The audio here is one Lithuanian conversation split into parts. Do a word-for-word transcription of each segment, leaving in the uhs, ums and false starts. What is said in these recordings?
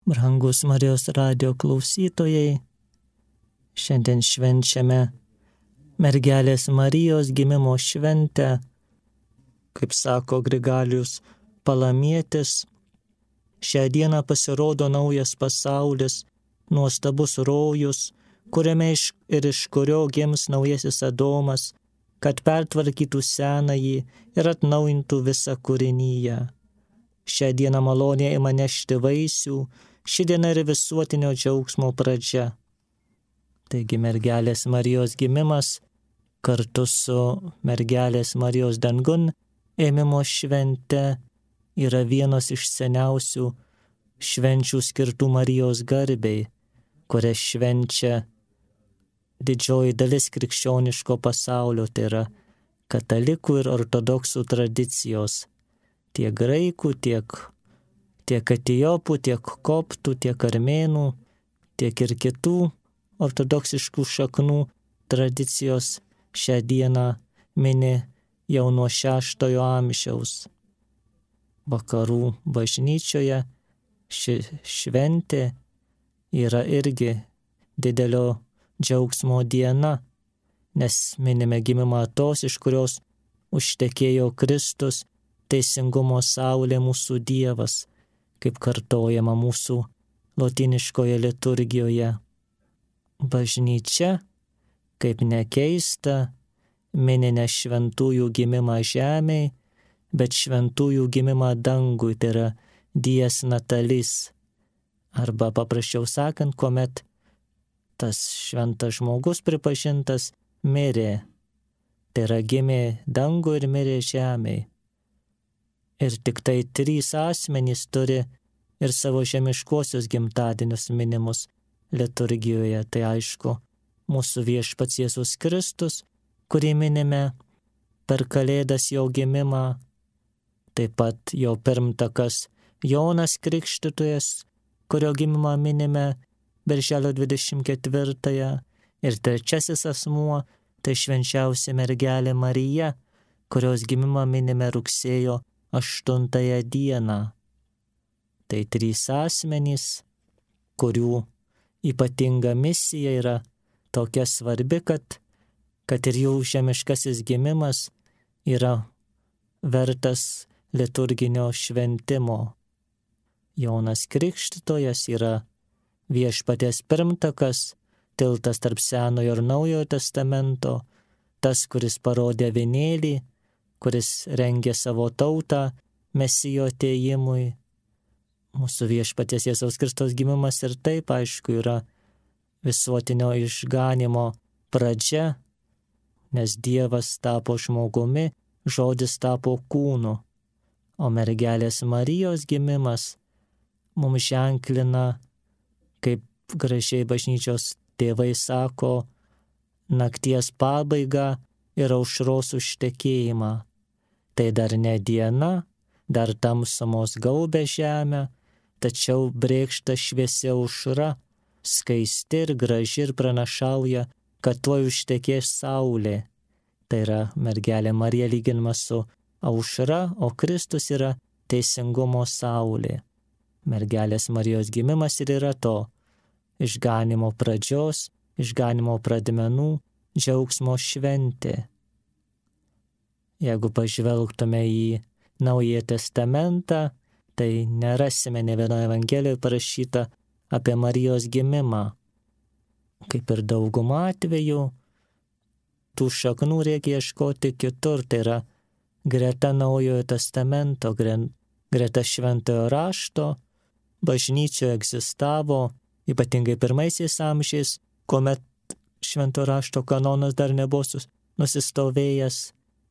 Brangus Marijos radijo klausytojai, šiandien švenčiame mergelės Marijos gimimo šventę, kaip sako Grigalijus Palamietis. Šią dieną pasirodo naujas pasaulis, nuostabus rojus, kuriame iš, ir iš kurio gims naujasis Adomas, kad pertvarkytų senąjį ir atnaujintų visą kūrinyje. Šią dieną malonė ima nešti vaisių, ši diena yra visuotinio džiaugsmo pradžia. Taigi mergelės Marijos gimimas kartu su mergelės Marijos dangun ėmimo švente yra vienos iš seniausių švenčių skirtų Marijos garbei, kurią švenčia didžioji dalis krikščioniško pasaulio, tai yra katalikų ir ortodoksų tradicijos, tiek graikų, tiek, tiek etiopų, tiek koptų, tiek armėnų, tiek ir kitų ortodoksiškų šaknų tradicijos šią dieną mini jau nuo šeštojo amžiaus. Vakarų bažnyčioje ši šventė yra irgi didelio džiaugsmo diena, nes minime gimimą tos, iš kurios užtekėjo Kristus, teisingumo saulė, mūsų Dievas, kaip kartojama mūsų lotyniškoje liturgijoje. Bažnyčia, kaip nekeista, mini ne šventųjų gimimą žemėj, bet šventųjų gimimą dangui, tai yra dies natalis. Arba paprasčiau sakant, kuomet tas šventas žmogus pripažintas mirė, tai yra gimė dangui ir mirė žemėj. Ir tik tai trys asmenys turi ir savo žemiškuosius gimtadienius minimus liturgijoje. Tai aišku, mūsų viešpats Jėzus Kristus, kurį minime per Kalėdas jo gimimą, taip pat jo pirmtakas Jonas Krikštytojas, kurio gimimą minime birželio dvidešimt ketvirtąją, ir trečiasis asmuo, tai švenčiausia mergelė Marija, kurios gimimą minime rugsėjo aštuntąją dieną. Tai trys asmenys, kurių ypatinga misija yra tokia svarbi, kad, kad ir jų žemiškasis gimimas yra vertas liturginio šventimo. Jonas Krikštytojas yra viešpaties pirmtakas, tiltas tarp Senojo ir Naujojo testamento, tas, kuris parodė avinėlį, kuris rengė savo tautą Mesijo atėjimui. Mūsų viešpaties Jėzaus Kristaus gimimas ir taip, aišku, yra visuotinio išganimo pradžia, nes Dievas tapo žmogumi, žodis tapo kūnu, o mergelės Marijos gimimas mums ženklina, kaip gražiai bažnyčios tėvai sako, nakties pabaigą ir aušros užtekėjimą. Tai dar ne diena, dar tamsumos gaubia žemę, tačiau brėkšta šviesia aušra, skaisti ir graži ir pranašauja, kad tuoj užtekės saulė. Tai yra mergelė Marija lyginama su aušra, o Kristus yra teisingumo saulė. Mergelės Marijos gimimas ir yra to išganimo pradžios, išganimo pradmenų, džiaugsmo šventė. Jeigu pažvelgtume į Naująjį testamentą, tai nerasime ne vienoje evangelijoje parašyta apie Marijos gimimą. Kaip ir dauguma atveju, tų šaknų reikia ieškoti kitur, tai yra greta Naujojo testamento, greta šventojo rašto, bažnyčioje egzistavo, ypatingai pirmaisiais amžiais, kuomet šventojo rašto kanonas dar nebuvo nusistovėjęs,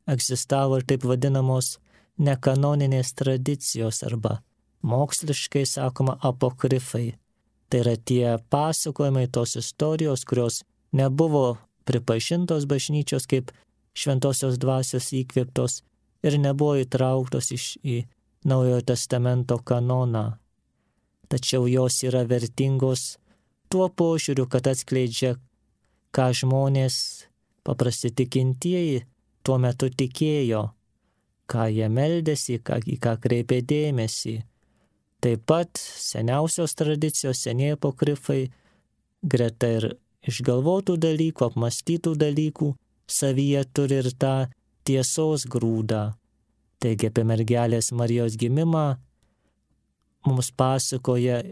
egzistavo ir taip vadinamos nekanoninės tradicijos arba moksliškai sakoma apokrifai. Tai yra tie pasakojimai, tos istorijos, kurios nebuvo pripažintos bažnyčios kaip šventosios dvasios įkvėptos ir nebuvo įtrauktos iš, į Naujojo testamento kanoną. Tačiau jos yra vertingos tuo požiūriu, kad atskleidžia, ką žmonės, paprasti tikintieji, tuo metu tikėjo, ką jie meldėsi, ką, į ką kreipė dėmesį. Taip pat seniausios tradicijos, senieji apokrifai, greta ir išgalvotų dalykų, apmastytų dalykų, savyje turi ir tą tiesos grūdą. Taigi apie mergelės Marijos gimimą mums pasakoja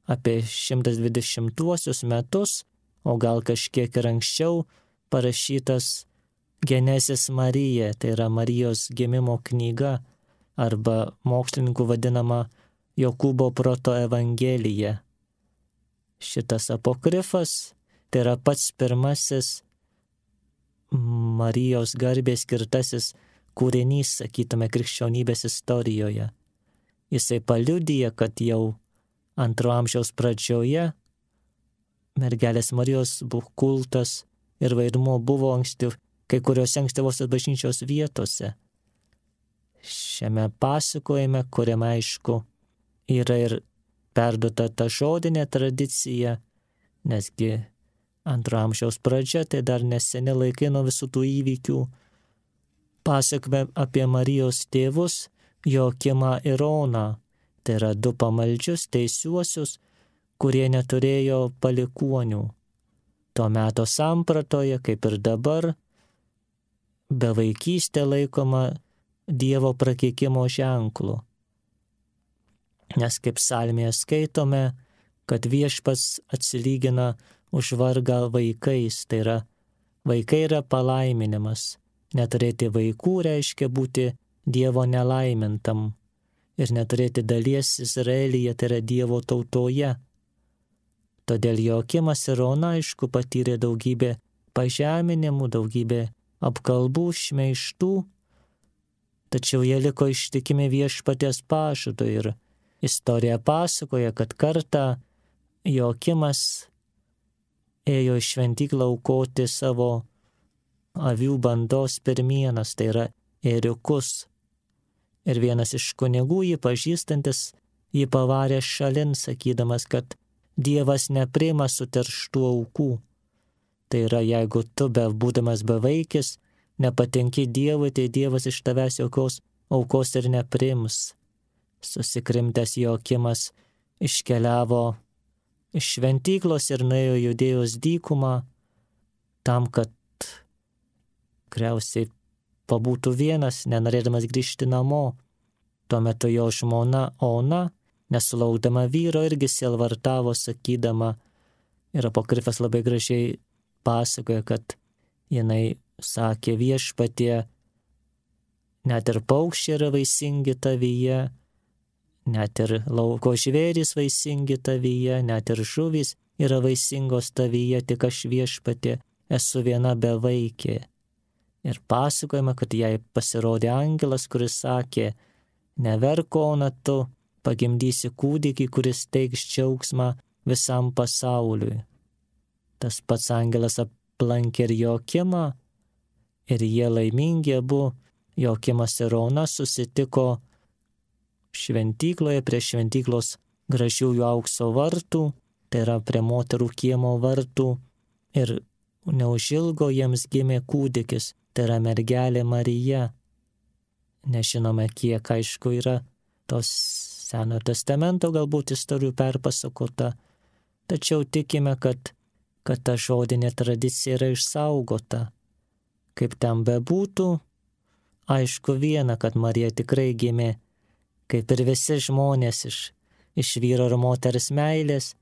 apie šimtas dvidešimtuosius metus, o gal kažkiek ir anksčiau parašytas Genesis Marija, tai yra Marijos gimimo knyga arba mokslininkų vadinama Jokūbo proto evangelija. Šitas apokrifas tai yra pats pirmasis Marijos garbės skirtasis kūrinys, sakytume, krikščionybės istorijoje. Jisai paliudija, kad jau antro amžiaus pradžioje mergelės Marijos kultas ir vaidmuo buvo anksti, kai kuriuose ankstyvosios bažnyčios vietose. Šiame pasakojime, kuriame aišku yra ir perduota ta žodinė tradicija, nesgi antro amžiaus pradžia, tai dar neseni laikai nuo visų tų įvykių. Pasakome apie Marijos tėvus Joakimą ir Oną. Tai yra du pamaldžius teisiuosius, kurie neturėjo palikuonių. Tuo meto sampratoje, kaip ir dabar, bevaikystė laikoma Dievo prakeikimo ženklu. Nes kaip psalmėje skaitome, kad viešpats atsilygina už vargą vaikais, tai yra vaikai yra palaiminimas. Neturėti vaikų reiškia būti Dievo nelaimintam ir neturėti dalies Izraelyje, tai yra Dievo tautoje. Todėl Joakimas ir Ona, aišku, patyrė daugybę pažeminimų, daugybę apkalbų, šmeižtų, tačiau jie liko ištikimi viešpaties pažadui ir istorija pasakoja, kad kartą Joakimas ėjo į šventyklą aukoti savo avių bandos pirmienas, tai yra ėriukus. Ir vienas iš kunigų jį pažįstantis, jį pavarė šalin, sakydamas, kad Dievas nepriima suterštų aukų. Tai yra, jeigu tu, be būdamas bevaikis, nepatinki Dievui, tai Dievas iš tavęs jokios aukos ir nepriims. Susikrimtęs Joakimas iškeliavo iš šventyklos ir nuėjo Judėjos dykumą, tam, kad tikriausiai pabūtų vienas, nenorėdamas grįžti namo. Tuo metu jo žmona Ona, nesulaukdama vyro, irgi sielvartavo, sakydama, ir apokrifas labai gražiai pasakoja, kad jinai sakė viešpatie, net ir paukščiai yra vaisingi tavyje, net ir lauko žvėrys vaisingi tavyje, net ir žuvys yra vaisingos tavyje, tik aš viešpatie esu viena bevaikė. Ir pasakojama, kad jai pasirodė angelas, kuris sakė, neverk, Ona, tu pagimdysi kūdikį, kuris teiks džiaugsmą visam pasauliui. Tas pats angelas aplankė ir Joakimą, ir jie laimingi abu, Joakimas ir Ona susitiko šventykloje prie šventyklos gražiųjų aukso vartų, tai yra prie moterų kiemo vartų, ir neužilgo jiems gimė kūdikis, tai yra mergelė Marija. Nežinome, kiek aišku yra tos Senojo testamento galbūt istorijų perpasakota, tačiau tikime, kad, kad ta žodinė tradicija yra išsaugota. Kaip ten bebūtų, aišku viena, kad Marija tikrai gimė, kaip ir visi žmonės iš, iš vyro ir moters meilės,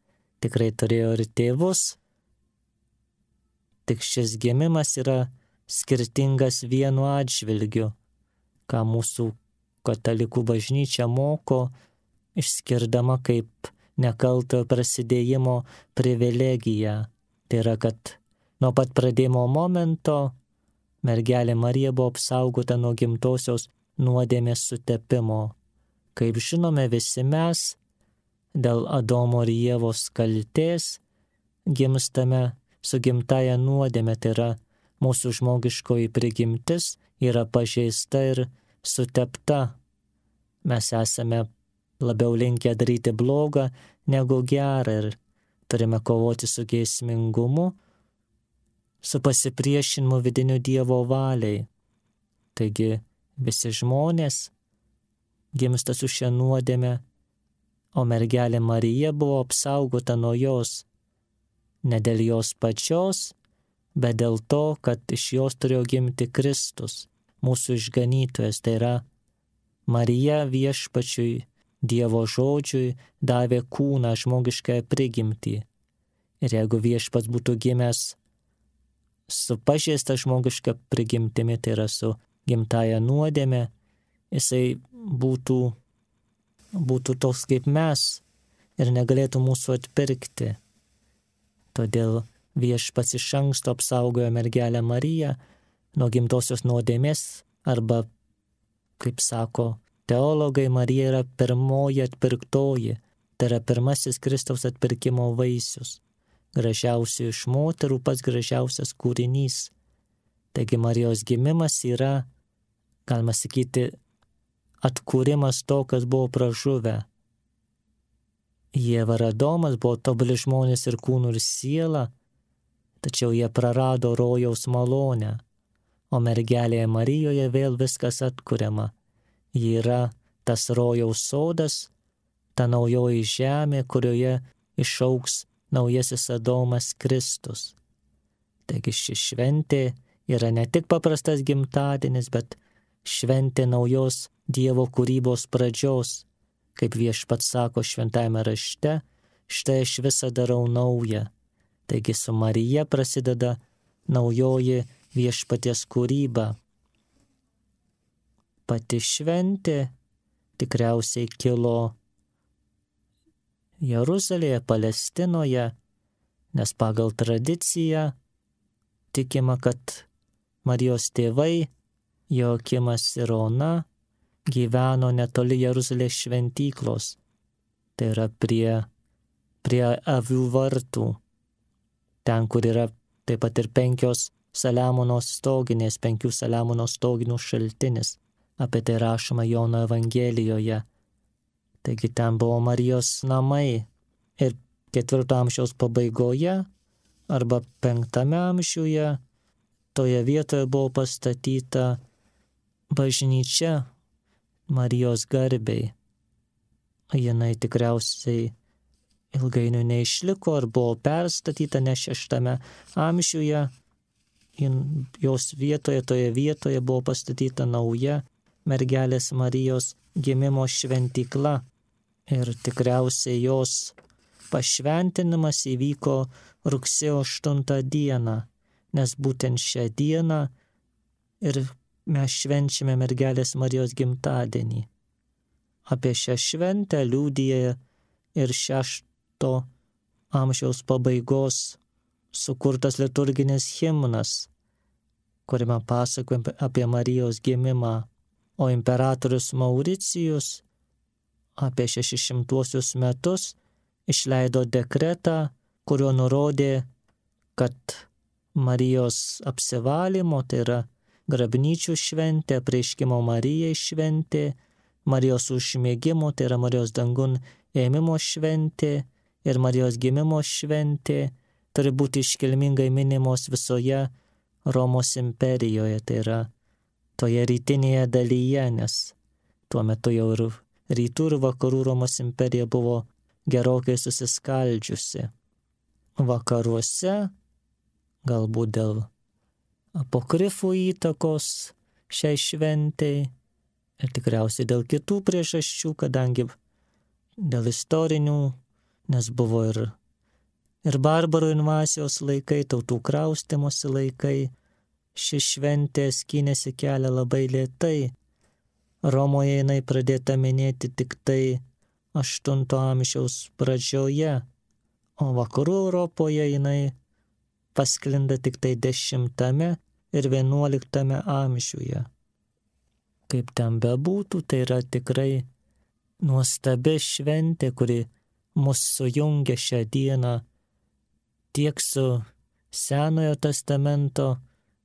tikrai turėjo ir tėvus. Tik šis gimimas yra skirtingas vienu atžvilgiu, ką mūsų katalikų bažnyčia moko, išskirdama kaip nekaltojo prasidėjimo privilegiją. Tai yra, kad nuo pat pradėjimo momento mergelė Marija buvo apsaugota nuo gimtosios nuodėmės sutepimo. Kaip žinome visi mes, dėl Adomo ir Ievos kaltės gimstame su gimtaja nuodėme, tai yra mūsų žmogiškoji prigimtis yra pažeista ir sutepta. Mes esame labiau linkę daryti blogą negu gerą ir turime kovoti su geismingumu, su pasipriešinimu vidiniu Dievo valiai. Taigi visi žmonės gimsta su šia nuodėme o mergelė Marija buvo apsaugota nuo jos, ne dėl jos pačios, bet dėl to, kad iš jos turėjo gimti Kristus, mūsų išganytojas. Tai yra, Marija viešpačiui, Dievo žodžiui davė kūną, žmogiškąją prigimtį. Ir jeigu viešpats būtų gimęs su pažeista žmogiška prigimtimi, tai yra su gimtaja nuodėme, jisai būtų, būtų toks kaip mes ir negalėtų mūsų atpirkti. Todėl viešpats iš anksto apsaugojo mergelę Mariją nuo gimtosios nuodėmės, arba, kaip sako teologai, Marija yra pirmoji atpirktoji, tai yra pirmasis Kristaus atpirkimo vaisius, gražiausių iš moterų, pats gražiausias kūrinys. Taigi Marijos gimimas yra, galima sakyti, atkūrimas to, kas buvo pražuvę. Ieva ir Adomas buvo tobuli žmonės ir kūnų ir siela, tačiau jie prarado rojaus malonę, o mergelėje Marijoje vėl viskas atkuriama. Ji yra tas rojaus sodas, ta naujoji žemė, kurioje išaugs naujasis Adomas Kristus. Taigi ši šventė yra ne tik paprastas gimtadienis, bet šventė naujos Dievo kūrybos pradžios, kaip viešpats sako šventajame rašte, štai aš visą darau naują. Taigi su Marija prasideda naujoji viešpaties kūryba. Pati šventė tikriausiai kilo Jeruzalėje, Palestinoje, nes pagal tradiciją tikima, kad Marijos tėvai Joakimas ir Ona gyveno netoli Jeruzalės šventyklos, tai yra prie, prie avių vartų, ten, kur yra taip pat ir penkios Saliamono stoginės, penkių Saliamono stoginių šaltinis. Apie tai rašoma Jono Evangelijoje. Taigi ten buvo Marijos namai. Ir ketvirto amžiaus pabaigoje arba penktame amžiuje toje vietoje buvo pastatyta bažnyčia Marijos garbei. Jinai tikriausiai ilgainiui neišliko ar buvo perstatyta, nes šeštame amžiuje jos vietoje, toje vietoje buvo pastatyta nauja mergelės Marijos gimimo šventykla. Ir tikriausiai jos pašventinimas įvyko rugsėjo aštuntą dieną, nes būtent šią dieną ir mes švenčiame mergelės Marijos gimtadienį. Apie šią šventę liudija ir šešto amžiaus pabaigos sukurtas liturginis himnas, kuriame pasakojame apie Marijos gimimą, o imperatorius Mauricijus apie šešišimtuosius metus išleido dekretą, kuriuo nurodė, kad Marijos apsivalymo, tai yra grabnyčių šventė, apreiškimo Marijai šventė, Marijos užmėgimo, tai yra Marijos dangun ėmimo šventė ir Marijos gimimo šventė turi būti iškilmingai minimos visoje Romos imperijoje, tai yra toje rytinėje dalyje, nes tuo metu jau ir rytų ir vakarų Romos imperija buvo gerokai susiskaldžiusi. Vakaruose, galbūt dėl apokrifų įtakos šiai šventei ir tikriausiai dėl kitų priežasčių, kadangi dėl istorinių, nes buvo ir, ir barbarų invazijos laikai, tautų kraustimosi laikai, ši šventė skynėsi kelią labai lėtai. Romoje jinai pradėta minėti tik tai aštunto amžiaus pradžioje, o vakarų Europoje jinai pasklinda tik tai dešimtame ir vienuoliktame amžiuje. Kaip ten bebūtų, tai yra tikrai nuostabi šventė, kuri mus sujungia šią dieną tiek su Senojo testamento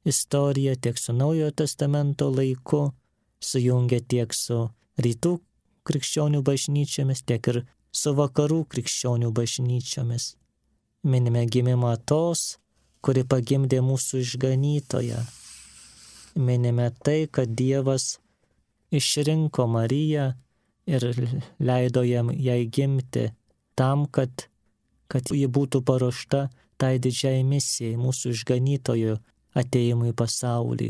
istorija, tiek su Naujojo testamento laiku, sujungia tiek su rytų krikščionių bažnyčiomis, tiek ir su vakarų krikščionių bažnyčiomis. Minime gimimą tos, kuri pagimdė mūsų išganytoją. Minime tai, kad Dievas išrinko Mariją ir leido jam jai gimti tam, kad, kad ji būtų paruošta tai didžiai misijai, mūsų išganytojo atėjimui į pasaulį.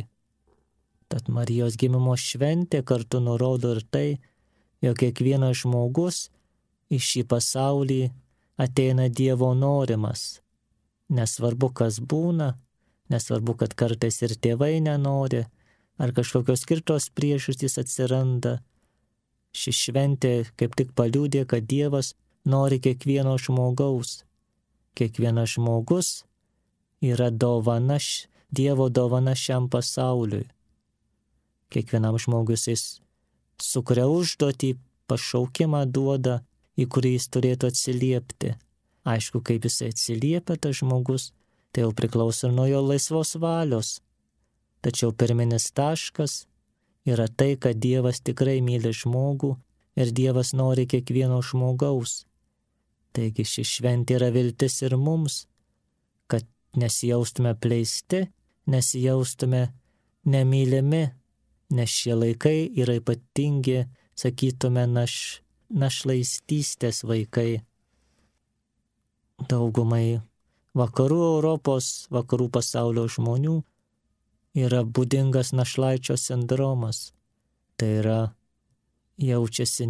Tad Marijos gimimo šventė kartu nurodo ir tai, jog kiekvienas žmogus į šį pasaulį ateina Dievo norimas. Nesvarbu, kas būna, nesvarbu, kad kartais ir tėvai nenori, ar kažkokios kitos priežastys atsiranda. Ši šventė kaip tik paliudė, kad Dievas nori kiekvieno žmogaus. Kiekvienas žmogus yra dovana, Dievo dovana šiam pasauliui. Kiekvienam žmogus jis sukuria užduotį, pašaukimą duoda, į kurį jis turėtų atsiliepti. Aišku, kaip jisai atsiliepia tas žmogus, tai jau priklauso nuo jo laisvos valios. Tačiau pirminis taškas yra tai, kad Dievas tikrai myli žmogų ir Dievas nori kiekvieno žmogaus. Taigi ši šventė yra viltis ir mums, kad nesijaustume pleisti, nesijaustume nemylimi, nes šie laikai yra ypatingi, sakytume, naš, našlaistystės vaikai. Daugumai vakarų Europos, vakarų pasaulio žmonių yra būdingas našlaičio sindromas. Tai yra, jaučiasi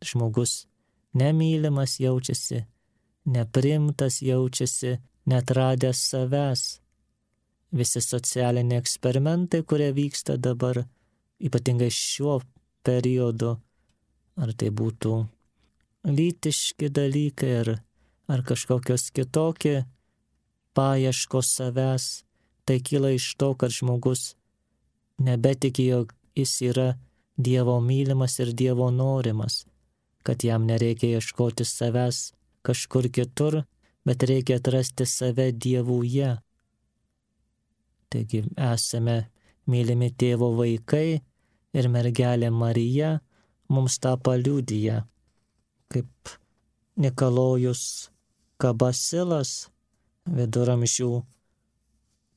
žmogus nemylimas, jaučiasi neprimtas, jaučiasi netradęs savęs. Visi socialiniai eksperimentai, kurie vyksta dabar, ypatingai šiuo periodu, ar tai būtų lytiški dalykai, ar, ar kažkokios kitokie paieškos savęs, tai kyla iš to, kad žmogus nebetiki, jog jis yra Dievo mylimas ir Dievo norimas, kad jam nereikia ieškoti savęs kažkur kitur, bet reikia atrasti save Dievuje. Taigi esame mylimi Tėvo vaikai ir mergelė Marija mums tą paliudija. Kaip Nikolojus Kabasilas, viduramžių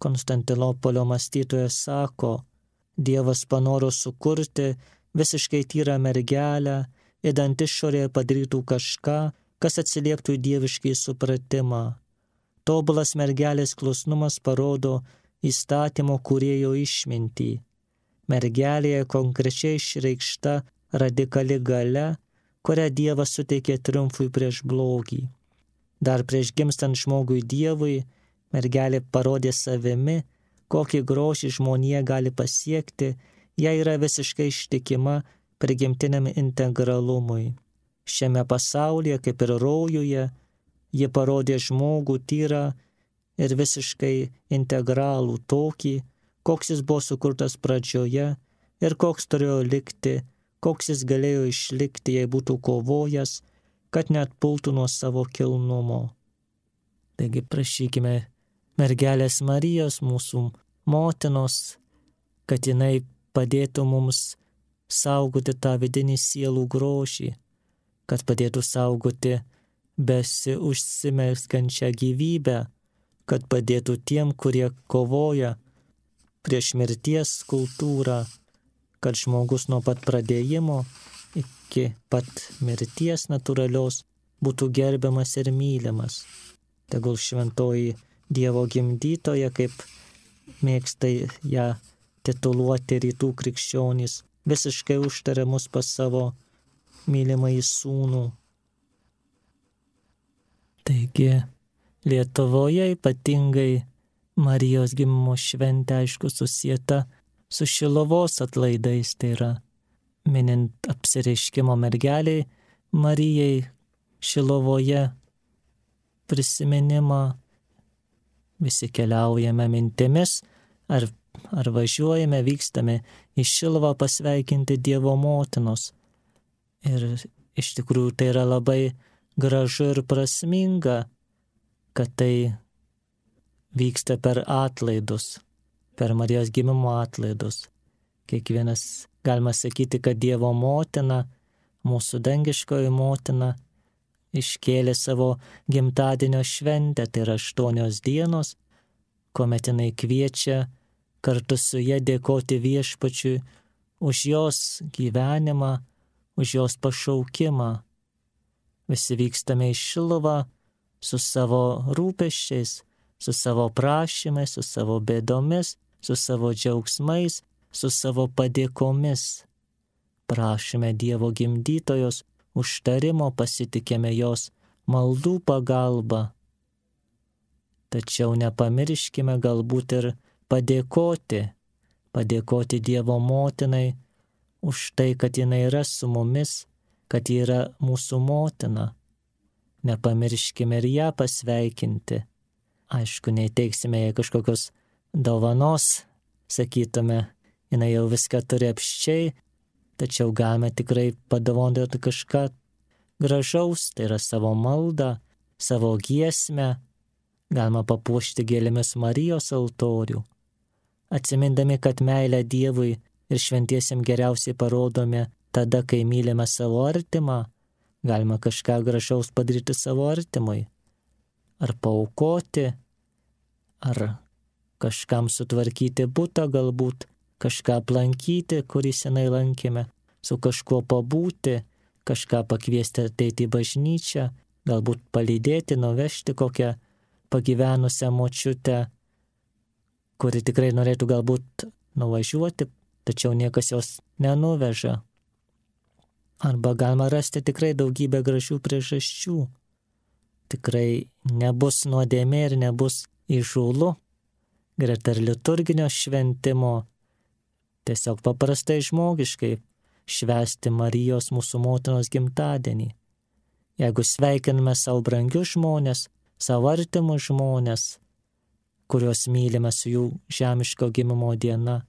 Konstantinopolio mąstytojas, sako, Dievas panoro sukurti visiškai tyrą mergelę, idant išorėje padarytų kažką, kas atsilieptų į dieviškai supratimą. Tobulas mergelės klusnumas parodo įstatymo kūrėjo išmintį. Mergelėje konkrečiai išreikšta radikali galia, kurią Dievas suteikė triumfui prieš blogį. Dar prieš gimstant žmogui Dievui, mergelė parodė savimi, kokį grožį žmonija gali pasiekti, jei yra visiškai ištikima prigimtiniam integralumui. Šiame pasaulyje, kaip ir rojuje, ji parodė žmogų tyrą ir visiškai integralų tokį, koks jis buvo sukurtas pradžioje ir koks turėjo likti, koks jis galėjo išlikti, jei būtų kovojęs, kad neatpultų nuo savo kilnumo. Taigi prašykime mergelės Marijos, mūsų motinos, kad jinai padėtų mums saugoti tą vidinį sielų grožį, kad padėtų saugoti besiužsimelskančią gyvybę, kad padėtų tiem, kurie kovoja prieš mirties kultūrą, kad žmogus nuo pat pradėjimo iki pat mirties natūralios būtų gerbiamas ir mylimas. Tegul šventoji Dievo gimdytoja, kaip mėgsta ją tituluoti rytų krikščionys, visiškai užtaria mus pas savo mylimąjį sūnų. Taigi, Lietuvoje ypatingai Marijos gimimo šventė, aišku, susieta su Šiluvos atlaidais, tai yra minint apsireiškimo mergeliai Marijai Šiluvoje prisiminimą. Visi keliaujame mintimis, ar, ar važiuojame, vykstame į Šiluvą pasveikinti Dievo motinos. Ir iš tikrųjų tai yra labai gražu ir prasminga, kad tai vyksta per atlaidus, per Marijos gimimo atlaidus. Kiekvienas, galima sakyti, kad Dievo motina, mūsų dangiškoji motina, iškėlė savo gimtadienio šventę, tai yra aštuonios dienos, kuomet jinai kviečia kartu su ja dėkoti Viešpačiui už jos gyvenimą, už jos pašaukimą. Visi vykstame į Šiluvą su savo rūpesčiais, su savo prašymais, su savo bėdomis, su savo džiaugsmais, su savo padėkomis. Prašome Dievo gimdytojos užtarimo, pasitikėme jos maldų pagalba. Tačiau nepamirškime galbūt ir padėkoti, padėkoti Dievo motinai už tai, kad jinai yra su mumis, kad ji yra mūsų motina. Nepamirškime ir ją pasveikinti. Aišku, neįteiksime jai kažkokios dovanos, sakytume, jinai jau viską turi apščiai, tačiau galime tikrai padovanoti kažką gražaus, tai yra savo maldą, savo giesmę, galima papuošti gėlėmis Marijos altorių. Atsimindami, kad meilę Dievui ir šventiesiem geriausiai parodome tada, kai mylime savo artimą, galima kažką gražaus padaryti savo artimui. Ar paaukoti, ar kažkam sutvarkyti butą galbūt, kažką aplankyti, kurį senai lankėme, su kažkuo pabūti, kažką pakviesti ateiti į bažnyčią, galbūt palydėti, nuvežti kokią pagyvenusią močiutę, kuri tikrai norėtų galbūt nuvažiuoti, tačiau niekas jos nenuveža. Arba galima rasti tikrai daugybę gražių priežasčių. Tikrai nebus nuodėmė ir nebus įžūlu, greta ir liturginio šventimo, tiesiog paprastai žmogiškai švęsti Marijos mūsų motinos gimtadienį. Jeigu sveikiname savo brangius žmonės, savo artimus žmonės, kuriuos mylime su jų žemiško gimimo diena,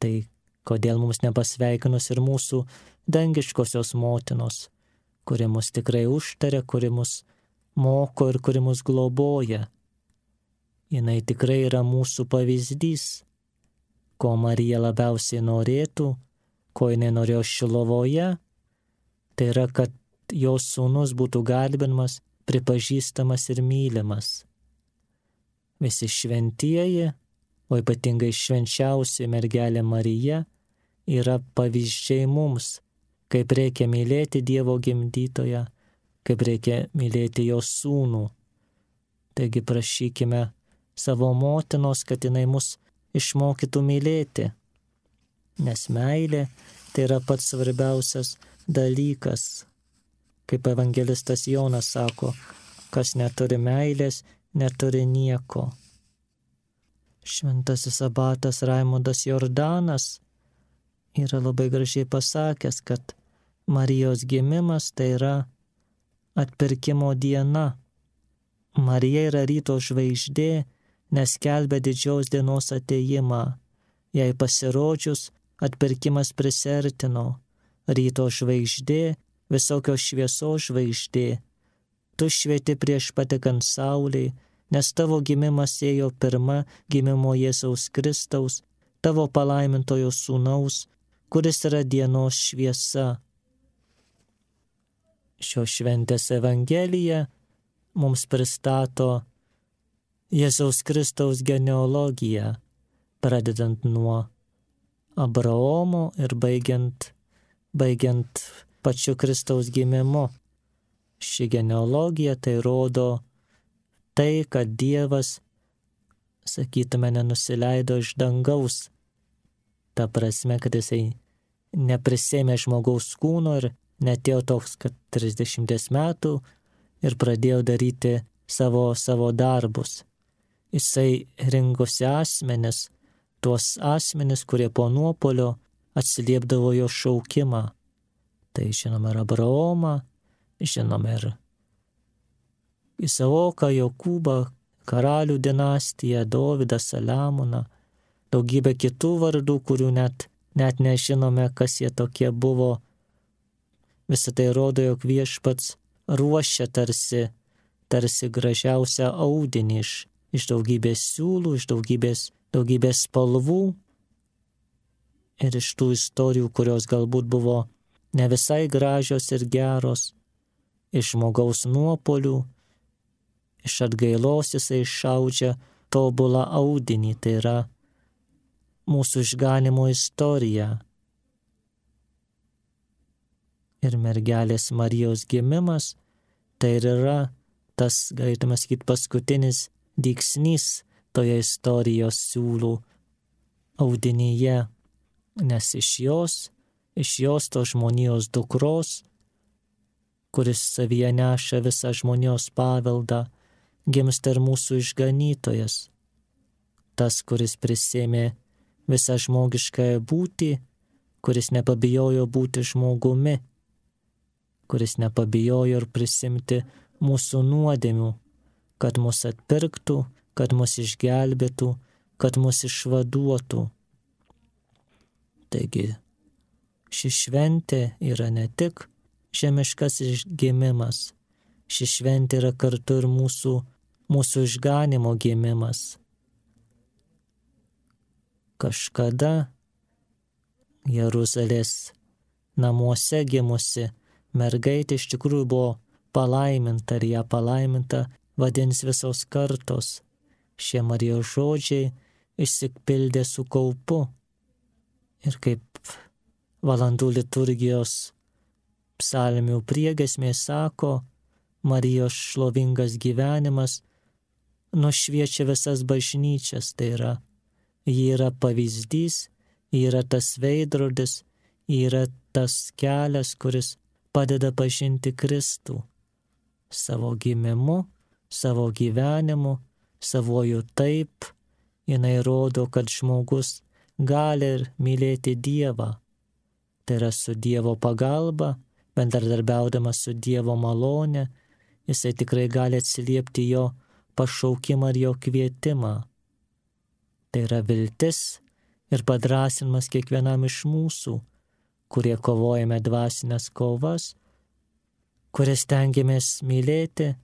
tai kodėl mums nepasveikinus ir mūsų dangiškosios motinos, kuri mus tikrai užtaria, kuri mus moko ir kuri mus globoja. Jinai tikrai yra mūsų pavyzdys, ko Marija labiausiai norėtų, ko jinai norėjo Šilovoje, tai yra, kad jos sūnus būtų garbinamas, pripažįstamas ir mylimas. Visi šventieji, o ypatingai švenčiausia mergelė Marija, yra pavyzdžiai mums, kaip reikia mylėti Dievo gimdytoją, kaip reikia mylėti jos sūnų. Taigi prašykime savo motinos, kad jinai mus išmokytų mylėti, nes meilė tai yra pats svarbiausias dalykas. Kaip evangelistas Jonas sako, kas neturi meilės, neturi nieko. Šventasis abatas Raimundas Jordanas yra labai gražiai pasakęs, kad Marijos gimimas tai yra atpirkimo diena. Marija yra ryto žvaigždė, nes skelbia didžios dienos atėjimą. Jai pasirodžius, atpirkimas prisertino. Ryto žvaigždė, visokios šviesos žvaigždė. Tu švieti prieš patekant saulei, nes tavo gimimas ėjo pirma gimimo Jėzaus Kristaus, tavo palaimintojo sūnaus, kuris yra dienos šviesa. Šios šventės evangelija mums pristato Jėzaus Kristaus genealogiją, pradedant nuo Abraomo ir baigiant, baigiant pačiu Kristaus gimimu. Ši genealogija tai rodo tai, kad Dievas, sakytume, nenusileido iš dangaus. Ta prasme, kad jisai neprisėmė žmogaus kūno ir netėjo toks, kad trisdešimties metų ir pradėjo daryti savo, savo darbus. Jisai rinkosi asmenis, tuos asmenis, kurie po nuopolio atsiliepdavo jo šaukimą. Tai žinome ir Abraomą, žinome ir Isaoką, Jokūbą, karalių dinastiją, Dovydą, Saliamoną, daugybę kitų vardų, kurių net, net nežinome, kas jie tokie buvo. Visą tai rodo, jog Viešpats ruošia tarsi, tarsi gražiausią audinį iš, iš daugybės siūlų, iš daugybės, daugybės spalvų ir iš tų istorijų, kurios galbūt buvo ne visai gražios ir geros, iš žmogaus nuopolių, iš atgailos jisai išaudžia tobulą audinį, tai yra mūsų išganimo istorija. Ir mergelės Marijos gimimas tai ir yra tas, galėtume sakyti, paskutinis dygsnys toje istorijos siūlų audinyje, nes iš jos, iš jos to žmonijos dukros, kuris savyje neša visą žmonijos paveldą, gimsta ir mūsų išganytojas, tas, kuris prisėmė visą žmogiškąją būtį, kuris nepabijojo būti žmogumi, kuris nepabijojo ir prisimti mūsų nuodėmių, kad mus atpirktų, kad mus išgelbėtų, kad mus išvaduotų. Taigi, ši šventė yra ne tik žemiškas gimimas, ši šventė yra kartu ir mūsų, mūsų išganimo gimimas. Kažkada Jeruzalės namuose gimusi mergaitė iš tikrųjų buvo palaiminta ir ją palaiminta vadins visos kartos. Šie Marijos žodžiai išsipildė su kaupu. Ir kaip valandų liturgijos psalmių priegiesmė sako, Marijos šlovingas gyvenimas nušviečia visas bažnyčias, tai yra, ji yra pavyzdys, ji yra tas veidrodis, ji yra tas kelias, kuris padeda pažinti Kristų savo gimimu, savo gyvenimu, savojų taip, jinai rodo, kad žmogus gali ir mylėti Dievą. Tai yra su Dievo pagalba, bendradarbiaudamas su Dievo malone, jisai tikrai gali atsiliepti jo pašaukimą ir jo kvietimą. Tai yra viltis ir padrąsinimas kiekvienam iš mūsų, kurie kovojame dvasinės kovas, kurie stengiamės mylėti,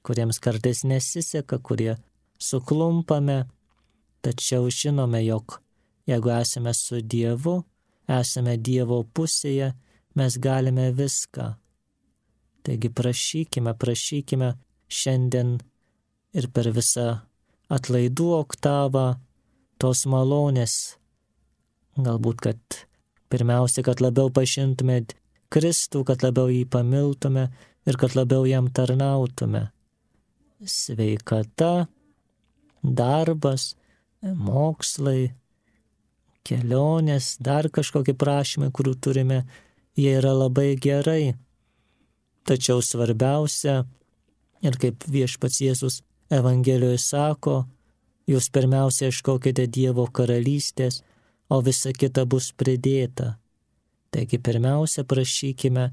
kuriems kartais nesiseka, kurie suklumpame, tačiau žinome, jog jeigu esame su Dievu, esame Dievo pusėje, mes galime viską. Taigi prašykime, prašykime šiandien ir per visą atlaidų oktavą tos malonės. Galbūt, kad pirmiausia, kad labiau pažintume Kristų, kad labiau jį pamiltume ir kad labiau jam tarnautume. Sveikata, darbas, mokslai, kelionės, dar kažkokie prašymai, kurių turime, jie yra labai gerai. Tačiau svarbiausia, ir kaip viešpats Jėzus Evangelijoje sako, jūs pirmiausia ieškokite Dievo karalystės, o visa kita bus pridėta. Taigi pirmiausia prašykime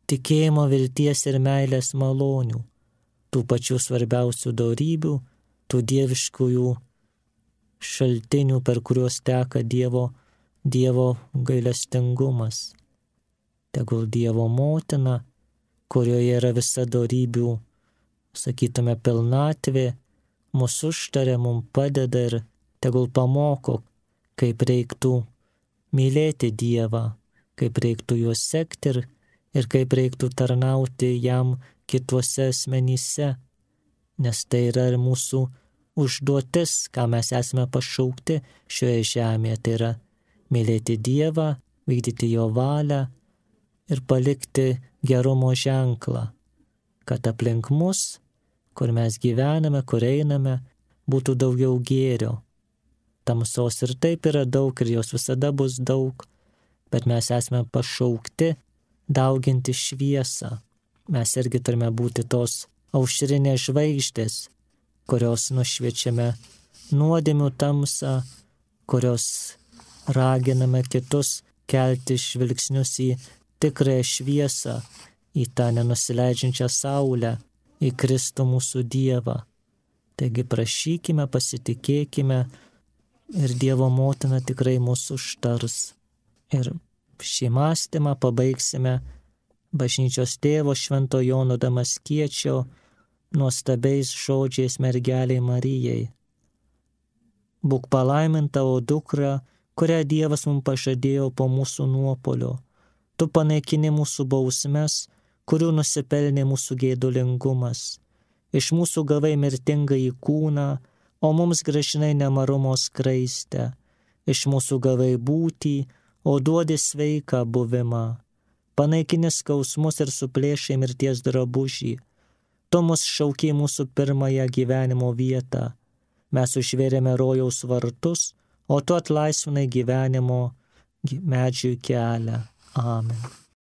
tikėjimo, vilties ir meilės malonių, tų pačių svarbiausių dorybių, tų dieviškųjų šaltinių, per kuriuos teka Dievo, Dievo gailestingumas. Tegul Dievo motina, kurioje yra visa dorybių, sakytume, pilnatvė, mūsų užtarė, mums padeda ir tegul pamoko, kaip reiktų mylėti Dievą, kaip reiktų juos sekti ir, ir kaip reiktų tarnauti jam kituose asmenyse, nes tai yra ir mūsų užduotis, ką mes esame pašaukti šioje žemėje, tai yra mylėti Dievą, vykdyti jo valią ir palikti gerumo ženklą, kad aplink mus, kur mes gyvename, kur einame, būtų daugiau gėrio. Tamsos ir taip yra daug ir jos visada bus daug, bet mes esame pašaukti dauginti šviesą. Mes irgi turime būti tos aušrinės žvaigždės, kurios nušviečiame nuodėmių tamsą, kurios raginame kitus kelti žvilgsnius į tikrąją šviesą, į tą nenusileidžiančią saulę, į Kristų mūsų Dievą. Taigi prašykime, pasitikėkime ir Dievo motina tikrai mūsų užtars. Ir šį mąstymą pabaigsime bažnyčios tėvo Švento Jono Damaskiečio nuostabiais žodžiais mergeliai Marijai. Būk palaiminta, o dukra, kurią Dievas mums pažadėjo po mūsų nuopolio. Tu panaikini mūsų bausmes, kurių nusipelnė mūsų gėdulingumas. Iš mūsų gavai mirtingąjį kūną, o mums grąžinai nemarumo skraistę. Iš mūsų gavai būtį, o duodi sveiką buvimą. panaikini skausmus ir suplėšai mirties drabužį. Tu mus šaukiai mūsų pirmąją gyvenimo vietą. Mes užvėrėme rojaus vartus, o tu atlaisvinai gyvenimo medžiui kelią. Amen.